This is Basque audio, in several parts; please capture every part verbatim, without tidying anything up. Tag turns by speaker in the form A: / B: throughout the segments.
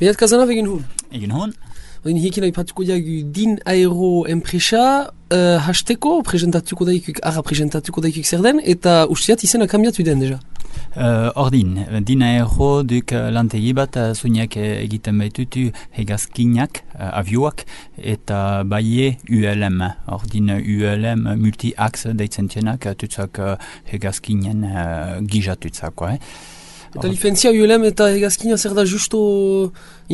A: Behat Kazanov egin hon?
B: Egin hon.
A: Odin hiekin aipatuko diagu din aero enpresa, uh, hasteko presentatuko daikuk, ara presentatuko daikuk zer den, eta usteat izena kambiatu den deja.
B: Uh, ordin, din aero duk lantegi bat zuinak egiten baitutu hegazkinak, uh, avioak, eta baie U L M. Ordin U L M multi-axe deitzen tienak, tutzak uh, hegazkinen uh, gijatutzako, eh?
A: Eta lifentzia U L M eta hegazkina zer da justo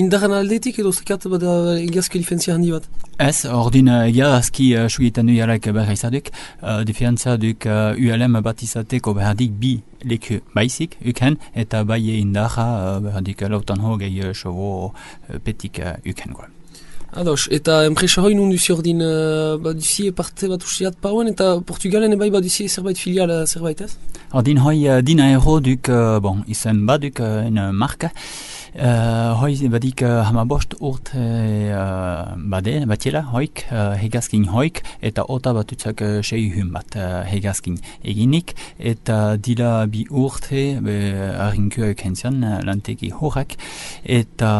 A: indaran aldetik edo zekat bada hegazki lifentzia handi bat?
B: Ez, ordin hegazki uh, sugietan du jarek behar izaduk, uh, diferentzia duk uh, U L M bat izateko behardik bi leku baizik, uken, eta bai indarra uh, behardik lautan hogei sobo uh, petik uh, uken.
A: Ados, eta enpresa hoi nun duzi ordin uh, baduzi parte bat usiat pauen, eta Portugalen ebai baduzi zerbait filial zerbait ez?
B: Ordin hoi uh, din aero duk, uh, bon, izen baduk uh, en marka, Uh, hoi badik uh, hamabost urt uh, bade, batiela, hoik, uh, hegazkin hoik, eta ota batutzak uh, sei hun bat uh, hegazkin eginik, eta dila bi urte be arrinkua eukentzian uh, lantegi horrak, eta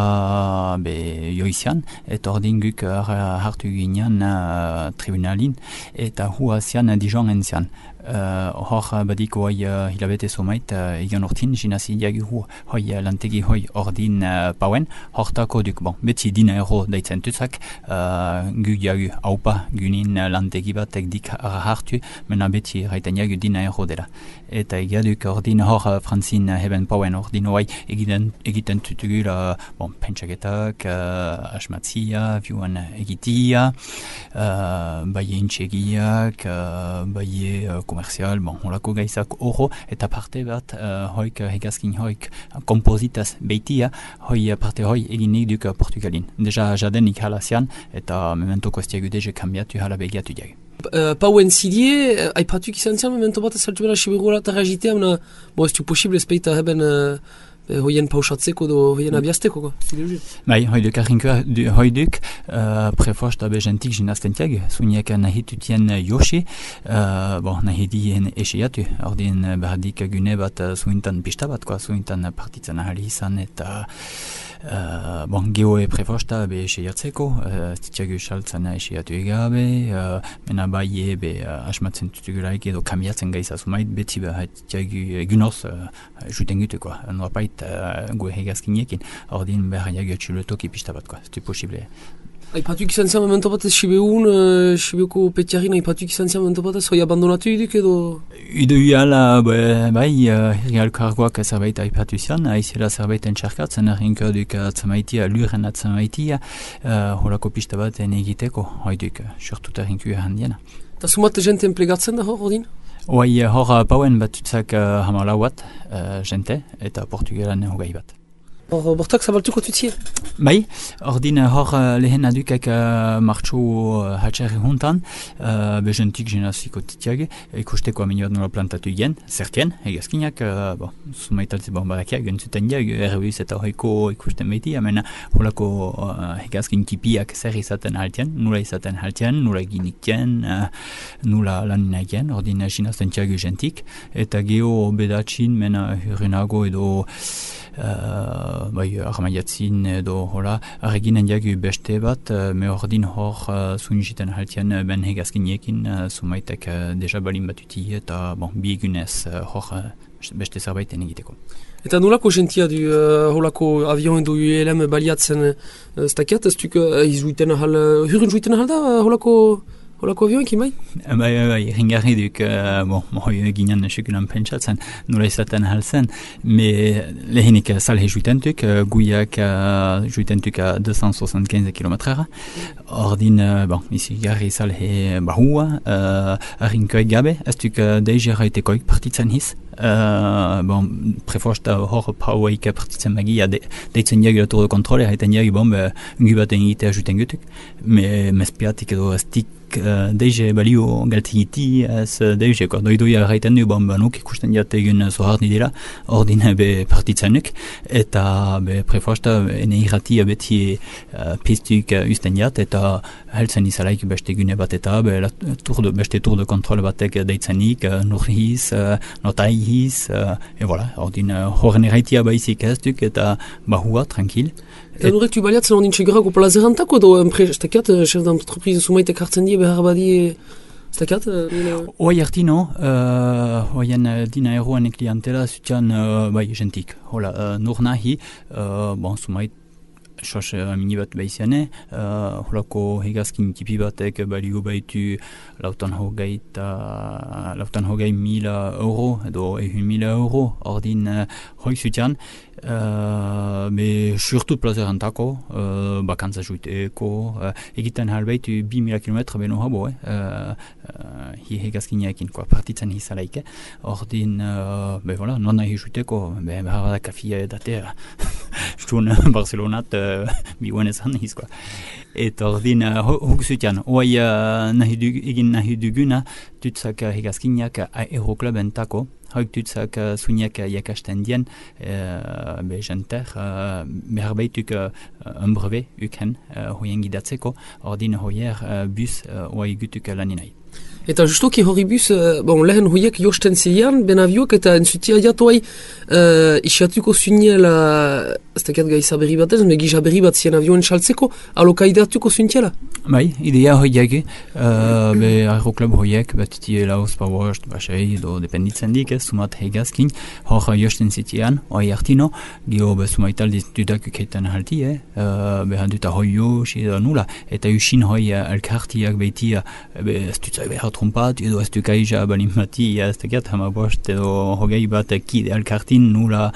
B: be joizian, eta ordin guk uh, hartu ginean uh, tribunalin, eta huazian uh, Dijon entzian. Uh, hor badik hoi uh, hilabete somait uh, egan ortin jinazi diagu hu hoi uh, lantegi hoi ordin uh, pauen hortako duk bon beti din aero daitzen tutzak uh, gu diagu haupa gunin uh, lantegi batek dik hartu mena beti raiten diagu din aero dela eta egaduk ordin hor uh, franzin uh, heben pauen ordin hoi egiten, egiten tutugul uh, bon pentsaketak uh, asmatzia viuan egitia uh, baie intxegiak uh, baie uh, komerzial, bon, holako gaizak oro, eta parte bat uh, hoik hegazkin hoik kompozitaz beitia, hoi parte hoi eginik duk Portugalin. Deja jadenik halazian, eta memento kostiagu deje kambiatu hala begiatu diag.
A: Uh, pauen zidie, uh, aipatuk izan zian, memento bat ez saltu bera siberola eta rajitea, mena, bo ez tu posible ezpeita heben uh, hoien pausatzeko do hoien abiazteko,
B: bai, hoi duk arrinkua, hoi duk uh, prefosta bejentik jinaztentiag, zuniak nahitutien Yoshi, uh, bon, nahidien eseiatu, ordin behardik gune bat zuintan pista bat, zuintan partitzen ahali izan, eta Uh, bon, geho e prefosta be eseiatzeko, uh, titiagu saltzen eseiatu egabe, uh, mena bai ebe uh, asmatzen tutugulaik edo kambiatzen gaiza sumait, beti beha titiagu egunoz uh, juten gutu, noapait uh, goe hegazkiniekin, ordin behar jagu txulotoki pista bat, ez posible.
A: Aipatuk izan zian memento batez Sibeun, uh, Sibeuko petiarin aipatuk izan zian memento batez, hoi abandonatu iduk edo?
B: Idu iala, bai, uh, real kargoak zerbait aipatu zian, aizela zerbait entxarkatzen, errinko duk atzamaitia, luren atzamaitia, uh, holako pista bat egiteko, hoi duk, surtut errinko handiena.
A: Eta sumat jente emplegatzen da hor, ordin?
B: Hoi, hor pauen batutzak uh, hamalau bat, uh, jente, eta Portugalan hogei bat.
A: Hor, bortak zabaltuko tutzie?
B: Bai, ordin hor lehen adukak uh, martxo uh, hatxerri juntan, uh, bejentik jenaziko titiag, ikusteko aminioat nola plantatu igen, zertien, hegazkinak, uh, bon, sumaitaltze bon barakiak, gentzuten diag, erruiz eta hoiko ikusten behiti, amena holako uh, hegazkin kipiak zer izaten haltien, nula izaten haltien, nula ginikien, uh, nula laninakien, ordin jinazten tiag jentik, eta geho bedatxin, mena hurrenago edo Uh, bai, armaiatzin edo hola, arreginen diagu beste bat, uh, me ordin hor uh, zunjiten haltien uh, ben hegazkiniekin, uh, sumaitek uh, deja balin batuti eta bon, bi egunez uh, hor uh, beste zerbaiten egiteko.
A: Eta nolako jentia du uh, holako avion edo U L M baliatzen uh, stakiat, ez duk uh, izuiten ahal, uh, hurren zuiten ahal da uh, holako Holako avioekin, bai?
B: Bai, bai, bai, ringarri duk, uh, bon, hoi ginen sekulan pentsatzen, nola izaten halzen, me lehenik salhe juitentuk, uh, guiak uh, juitentuk a deux cent soixante-quinze kilometrera, ordin, uh, bon, izi garri salhe bahua, uh, arrinkoek gabe, ez duk uh, deje raitekoik partitzen hiz, Uh, bon, prefosta hor pauaik partitzen magia de, deitzen diag la tour de controle haiten diag bon, ungu bat egitea juten gutuk, me mespiatik edo estik uh, deize balio galtigiti, ez deize, ko, doidoia gaiten du, bon, banuk ikusten jat egun zoharni dira, ordin be partitzenek, eta be prefosta ene irratia beti uh, pistuk uh, usten jat, eta heltzen izalaik beste gune bat eta be, la, tour de, beste tour de kontrol batek deitzenik, uh, nurhiz, uh, notaihiz, uh, e voilà, ordin uh, horren erraitia baizik ez duk, eta bahua, tranquil.
A: Eta nurek tu baliatzen ondin txegurako plazerantako edo estakiat, chef d'entreprise sumaitek hartzen die behar badi estakiat?
B: Oai artino, uh, oaien dina eroan klientela zutian uh, bai gentik. Hola, uh, nur nahi, uh, bon, sumait sos mini bat baiziane, uh, holako hegazkin tipi batek balio baitu lautan hogeita, lautan hogei mila euro, edo ehun mila euro, ordin uh, hoik zutian, Uh, me surtout plazerantako, uh, bakantza juiteko, uh, egiten halbaitu bi mila kilometra beno habo, eh? uh, uh, hi hegazkineekin, quoi, partitzen hizalaike, ordin, uh, be voilà, non nahi juiteko, be behar da kafia edatea, stun Barcelonat, uh, biuen ezan hiz, quoi. Et ordin, uh, hok zutian, oai uh, nahi dug, egin nahi duguna, tutzak hegazkineak aeroklubentako, hauk tutzak uh, suinak uh, jakasten dien, uh, be jenter, uh, behar baituk uh, un brevet uken, uh, hoien gidatzeko, ordin hoier uh, bus uh, oai gutuk laninai.
A: Eta justoki hori bus, uh, bon, lehen hoiek josten zilean, ben aviok, eta entzutia jatuai uh, isiatuko zuniela, ez tekat gaiza berri bat ez, negiza berri bat zien avioen saltzeko, alokaidatuko zuntiela?
B: Bai, idea hoiak, uh, be aeroklub hoiek, bat tie lauz, pabost, basei, do dependitzen dik, ez, sumat hegazkin, hor josten zitian, oai hartino, gio be sumaital dudak uketan halti, eh, uh, be handuta hoio, da nula, eta usin hoi uh, elkartiak beitia, be estutzai behar trompat, edo ez dukaija balimati, ez tekat hama bost, edo hogei bat kide elkartin nula,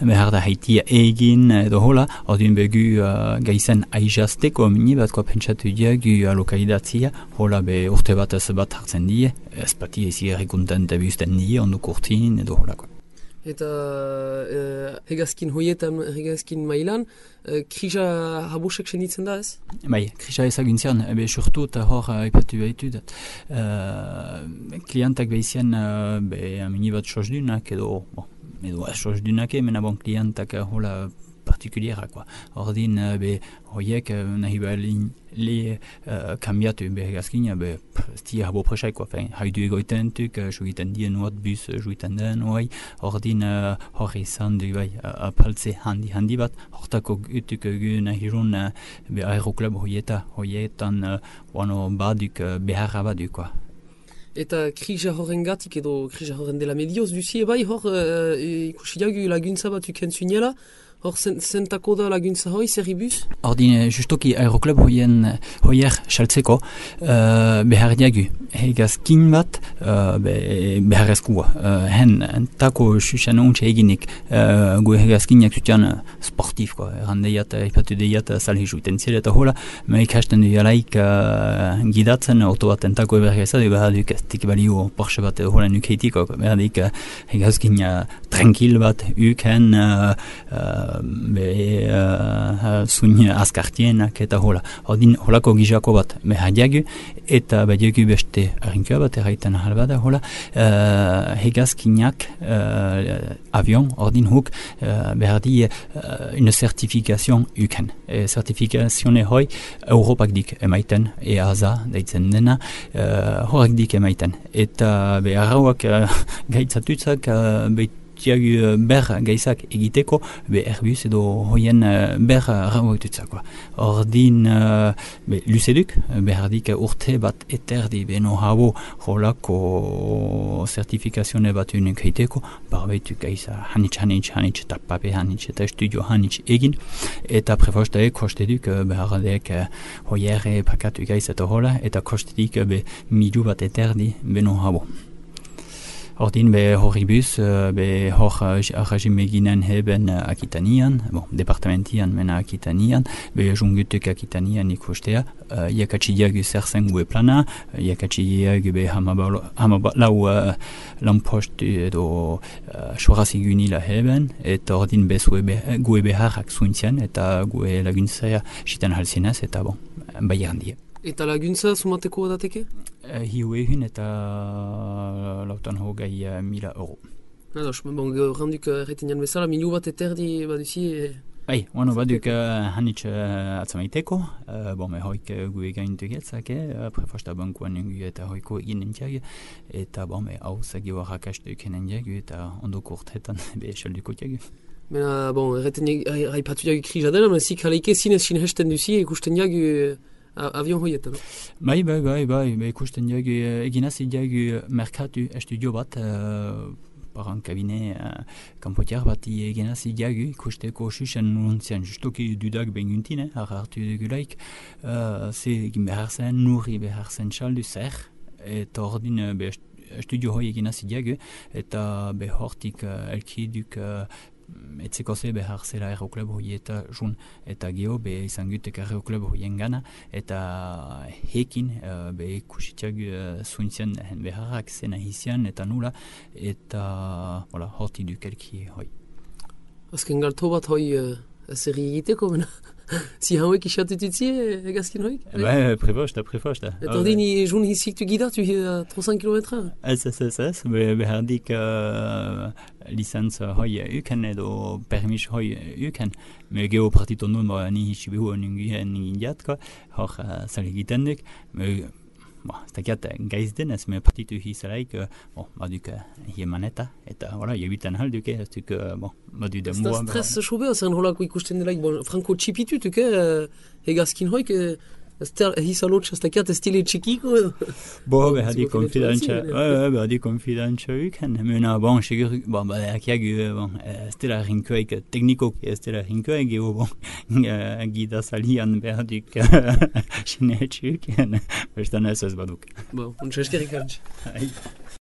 B: behar da haitia egin, edo hola, ordin begu uh, gaizen aijazteko mini bat, koa pentsatu diagu alokaidatzia, hola be urte bat ez bat hartzen die, ez pati ezi errekunten tebiusten die, onduk urtin, edo hola, koa.
A: Eta uh, hegazkin hoietan, hegazkin mailan, uh, krija habosek senditzen da ez?
B: Bai, krija ezaguntzian, ebe surtu eta hor aipatu behitu dat. Uh, klientak behizian, uh, be amini bat sosdunak, edo, bon, edo sosdunak, mena bon klientak uh, hola partikuliera, quoi. Ordin, uh, be hoiek uh, nahi behalin le uh, kambiatu be hegazkin, be sti habo presai, quoi. Fein, haidu egoiten tuk, uh, juiten dien nuot bus uh, juiten den, oai, ordin uh, hori izan du, bai, uh, apaltze handi handi bat, hortako gutuk uh, gu nahirun uh, be aeroklub hoieta, hoietan uh, wano baduk uh, beharra badu, quoi.
A: Eta krija horren gatik edo krija horren dela medioz duzie, bai hor uh, ikusi jagu laguntza bat uken zuniela, hor zentako da laguntza hoi, zer ibuz?
B: Ordin, justoki aeroklub hoien hoier saltzeko uh, behar diagu. Hegazkin bat uh, be, behar ezkua. Uh, hen, entako susan ontsa eginik uh, gu hegazkinak zutian uh, sportif, ko. Errandeiat, ipatu deiat salhi juiten zile eta hola, me ikasten du jalaik uh, gidatzen, auto bat entako eberga ezadu, behar duk ez tik balio Porsche bat hola nukeitiko, behar dik uh, hegazkin uh, tranquil bat uken uh, uh, be uh, zuin askartienak eta hola. Ordin holako gizako bat behar diagu eta badiagu beste arrinkua bat erraiten halbada hola. Uh, hegazkinak uh, avion, ordin huk uh, behar di uh, une certification uken. E, certification hoi Europak dik emaiten, E A S A deitzen dena, uh, horak dik emaiten. Eta be arrauak uh, gaitzatutzak uh, behit tiagu ber gaizak egiteko, be Airbus edo hoien ber rauak dutzako. Ordin, uh, be luceduk, behardik urte bat eterdi beno habo holako certifikazione bat unik heiteko, barbeitu gaiza hanitz, hanitz, hanitz, eta pape hanitz, eta studio hanitz egin, eta prefostaek kosteduk behardek hoiere pakatu gaiz eta hola, eta kostedik be midu bat eterdi beno habo. Ordin be horibus, be hor regime ginen heben Akitanian, bon, departamentian mena Akitanian, be jungutuk Akitanian ikustea, uh, iakatsidiagu zerzen gue plana, iakatsidiagu be hamabalau uh, lampostu edo uh, sorazigunila heben, eta ordin be gue beharrak zuintzian, eta gue laguntzea sitan halzinez, eta bon, bai handia.
A: Eta laguntza sumateko dateke?
B: Uh, hiu ehun eta lautan hogei uh, mila euro.
A: Ados, bon, gauranduk erretenean bezala, miliu bat eterdi baduzi... E...
B: Bai, bueno, baduk uh, hanitz uh, atzamaiteko, uh, bon, me hoik uh, gu egaintu getzake, uh, prefosta bankuan nengu eta hoiko egin entziag, eta bon, me hau zagi warrak astu ekenen diagu, eta ondoko urtetan be esalduko diagu.
A: Mena, bon, erretenean haipatu diagu kri jadela, men zik haleike zinez sinhesten duzi ikusten diagu avion hoietan.
B: Bai, bai, bai, bai, be ikusten diagu, eginaz diagu merkatu estudio bat, uh, par un cabinet uh, kanpotiar bat egin hasi diagu ikusteko susen nuntzian justoki dudak benguntine hartu dugulaik uh, ze egin behar zen nurri behar zen saldu zer eta ordin uh, be studio hoi egin hasi diagu eta behortik uh, elkiduk uh, etzeko ze behar zela aeroklub hoi eta jun eta geho be izan gutek aeroklub hoien gana eta hekin uh, be ikusitiak uh, zuntzian beharrak zena hizian eta nula eta voilà, horti dukelki hoi.
A: Azken galto bat hoi uh, zerri egiteko, mena? Si hauek isatututzi egazkin hoik?
B: Ba, prefosta, prefosta.
A: Eta ordin jun hizik tu gidatu uh, trocent kilometra?
B: Ez, ez, ez, ez, be, behardik uh, licenz hoi uken edo permis hoi uken, me geho partito nun ba, ni hisibehu ningien indiatka, hor uh, sal egiten duk, me Ba, ez dakiat gaiz denez, me partitu hizalaik, uh, bon, baduk uh, hiemaneta, eta, voilà, jebiten halduke, ez duk, uh, bon, badu demua.
A: Ez da stres sobe, zen holako ikusten delaik, bon, franko txipitutuk, eh, egazkin hoik, eh, ez da hizalotx, ez dakiat ez stile txikiko, edo?
B: Bo, behadi konfidantza, behadi konfidantza uken, mena, bon, segur, bon, badakiak, bon, ez dela rinkoek, teknikoki ez dela rinkoek, geho, bon, gidazalian behadik sinetxuken, bestan ez ez baduk.
A: Bon, untsa eskerrik antz.